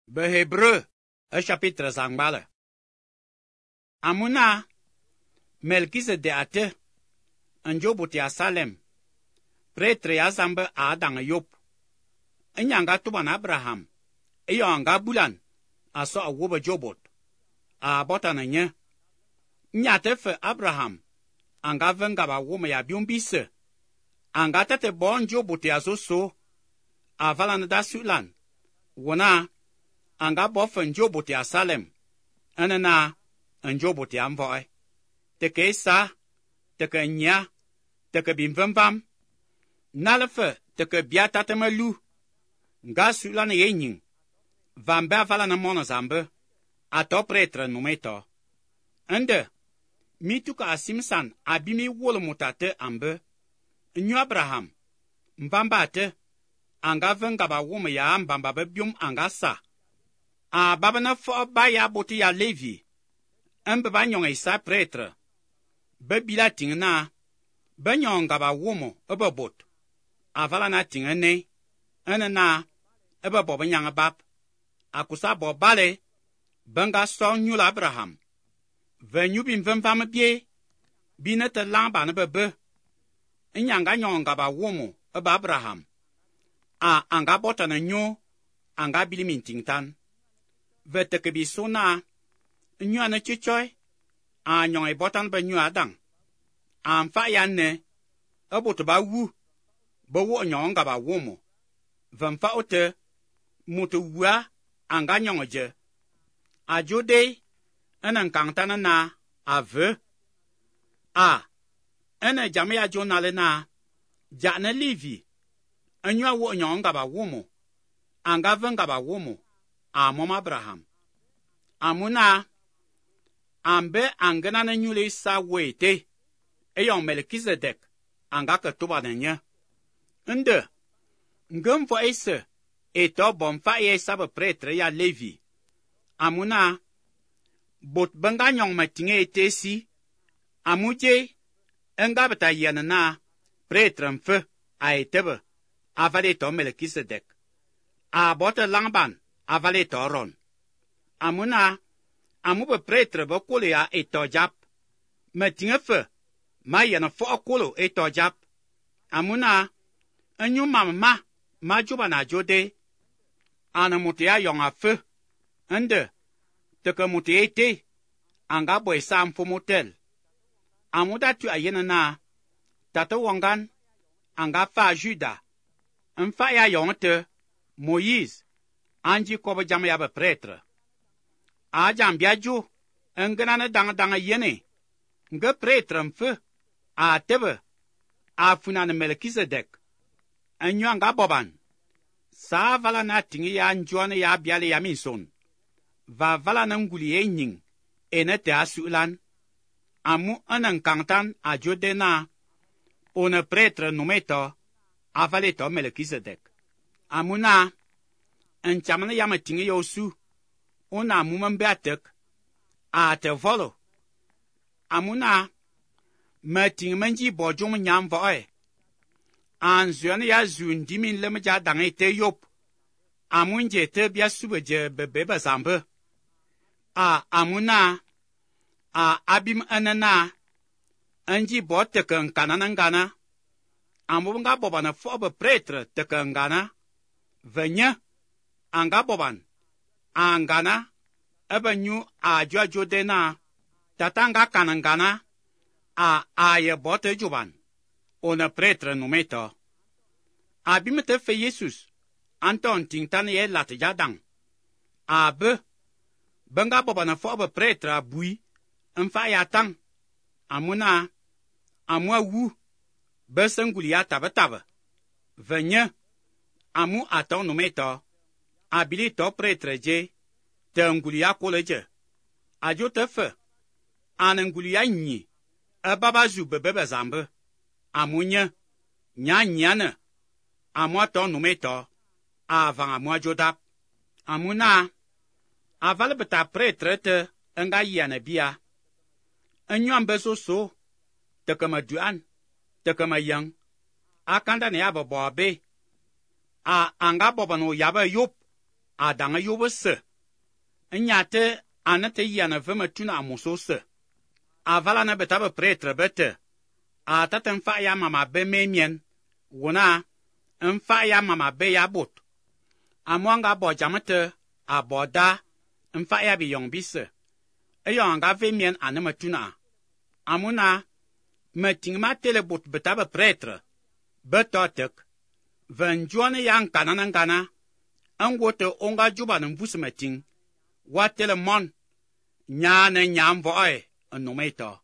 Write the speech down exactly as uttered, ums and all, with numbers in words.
Behébreu e chapitre zangbale. Amuna Melchizedek ate njobuti ya Salem pretre ya zambe a dang yop. Nyanga tuban Abraham iyo anga bulan aso a wobe jobot a bota na nye. Nyate fe Abraham anga venga ba wome ya biumbise anga tete bon jobot ya zoso a valan da sulan wona anga bo fe njobot ya Salem enena njobot ya mvoe teke sa teke nya teke bimvembam nalefe teke bia tatemelu nga sulan ye nyin vambe avala na mona zambe ato pretre numeto ende mituka asimsan abimi wolo mutate ambe nyu Abraham mbamba ate anga venga ba wome ya mbamba be bium anga sa a baba na fo ba ya boti ya Levi embe ba nyong isa pretre be bila tingna be nyonga ba womo ebe bot avala na tingene ene na ebe bo be nyanga bap akusa bo bale benga so nyula Abraham ve nyubi mvemvam bie bi ne te lamba ne bebe nyanga nyonga ba womo ebe Abraham a anga bota na nyo anga bili mintingtan ve teke bi sona nyu ane chichoy a nyong e botan be nyu adang a mfa ya ne eboto ba wu be wo nyonga ba womo ve mfa ote mutu wua anga nyong je a jode ene nkangtana na a ve a ene jame ya jonale na ja ne Levi enyu wo nyonga ba womo anga venga ba womo a mom Abraham amuna ambe angena ne nyule sa wete eyon Melchizedek anga ke tuba ne nye nde ngem fo ese eto bom fa ye sa pretre ya Levi amuna bot benga nyong matinge etesi amuje enga beta yena na pretre mfe a etebe avale to Melchizedek a bota langban avale to ron amuna amu be pretre be kolo ya eto jap matinge fe ma yena fo kolo eto jap amuna enyu mama ma juba na jode ana mutu ya yong afe ende teke mutu ete anga boy sa mfomotel amuda tu ayena na tata wangan anga fa Juda mfa ya yong te Moïse anji kobo jam ya be pretre a jam bia ju ngena ne dang dang yene nge pretre mfe a tebe a funa ne Melchizedek enyu anga boban sa vala na tingi ya njuane ya biale ya minson va vala na nguli ye nyin ene te asulan amu anan kantan a jode na one pretre numeto avale to Melchizedek amuna nchamana ya matingi yosu ona amu mbe atek a te volo amuna matingi manji bojum nyam voe anzuane ya zundi min lem ja dang ete yop amunje te bia subeje bebe bazambe a amuna a abim anana anji bo teke nkana na ngana amu nga boban fo be pretre teke ngana venye anga boban angana ebe nyu a jo jode na tata nga kana ngana a aye bo te juban one pretre numeto abim te fe Jesus anton tingtan ye lat jadang a be benga boban fo be pretre abui mfa ya tang amuna amu wu be senguli ya tabe tabe venye amu aton numeto abili to pretre je te nguli ya koleje ajo te fe ane nguli ya nyi e baba zu bebe be zambe amu nye nya nyane amu aton numeto avan amu ajodap amuna aval beta pretre te nga yana bia enyu ambe soso teke ma duan teke ma yang akanda ne ya bo be a anga boban o yabe yop A dang ayôb ôse, nya té a ne te yiane ve metunegha môs ôse. Aval ane beta beprêtre bete, a tate mfakh ya mam abé m'émién, wô naa, mfakh ya mam abé ya bôt. Amu a nga bo dzam té, a bo da, mfakh ya biyong bise, éyong a nga ve émién ane metunegha. Amu naa, meting ma tele bôt beta beprêtre, be to tek. Ve ndzôane ya nkanan ngana, ngo te ô nga dzôbane mvus meting, wa tele mon, nya a ne nya mvo'e n'nôm éto.